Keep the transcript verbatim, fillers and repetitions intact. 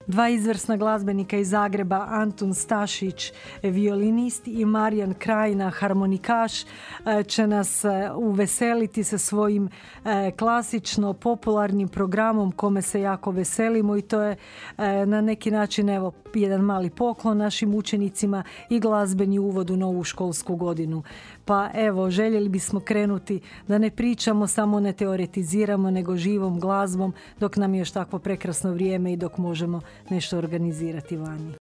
Dva izvrsna glazbenika iz Zagreba, Antun Stašić, violinist, i Marijan Krajina, harmonikaš, će nas uveseliti sa svojim klasično popularnim programom kome se jako veselimo, i to je na neki način evo jedan mali poklon našim učenicima i glazbeni uvod u novu školsku godinu. Pa evo, željeli bismo krenuti da ne pričamo, samo ne teoretiziramo, nego živom glazbom dok nam je još takvo prekrasno vrijeme i dok možemo nešto organizirati vani.